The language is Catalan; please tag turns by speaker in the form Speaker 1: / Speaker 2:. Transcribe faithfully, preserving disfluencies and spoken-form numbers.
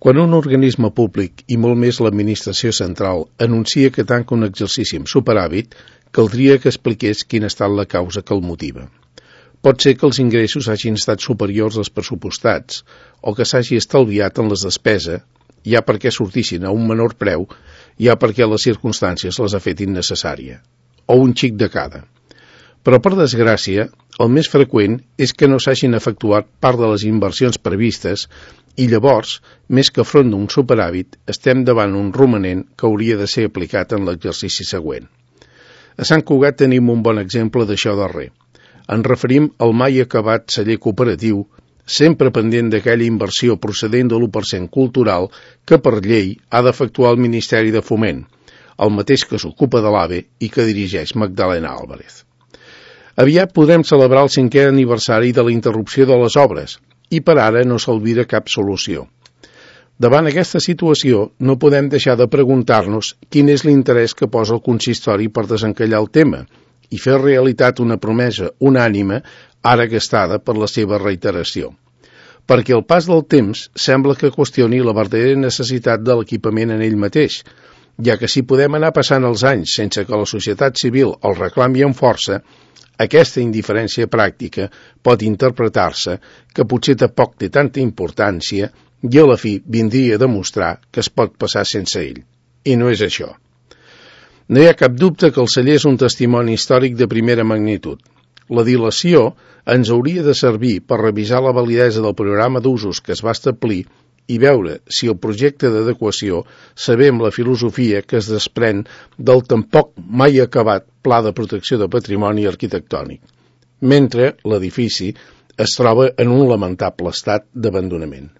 Speaker 1: Quan un organisme públic, i molt més l'administració central, anuncia que tanca un exercici amb superàvit, caldria que expliqués quina ha estat la causa que el motiva. Pot ser que els ingressos hagin estat superiors als pressupostats, o que s'hagi estalviat en les despeses, ja perquè sortissin a un menor preu, ja perquè les circumstàncies les ha fet innecessària, o un xic de cada. Però, per desgràcia, el més freqüent és que no s'hagin efectuat part de les inversions previstes i llavors, més que front d'un superàvit, estem davant un romanent que hauria de ser aplicat en l'exercici següent. A Sant Cugat tenim un bon exemple d'això darrer. Ens referim al mai acabat celler cooperatiu, sempre pendent d'aquella inversió procedent de l'u per cent cultural que per llei ha d'efectuar el Ministeri de Foment, el mateix que s'ocupa de l'AVE i que dirigeix Magdalena Álvarez. Aviat podrem celebrar el cinquè aniversari de la interrupció de les obres i per ara no s'alvira cap solució. Davant aquesta situació no podem deixar de preguntar-nos quin és l'interès que posa el consistori per desencallar el tema i fer realitat una promesa unànime ara gastada per la seva reiteració. Perquè el pas del temps sembla que qüestioni la verdadera necessitat de l'equipament en ell mateix, ja que si podem anar passant els anys sense que la societat civil el reclami amb força, aquesta indiferència pràctica pot interpretar-se que potser tampoc té tanta importància i a la fi vindria a demostrar que es pot passar sense ell. I no és això. No hi ha cap dubte que el celler és un testimoni històric de primera magnitud. La dilació ens hauria de servir per revisar la validesa del programa d'usos que es va establir i veure si el projecte d'adequació sabem la filosofia que es desprèn del tampoc mai acabat Pla de Protecció de Patrimoni Arquitectònic, mentre l'edifici es troba en un lamentable estat d'abandonament.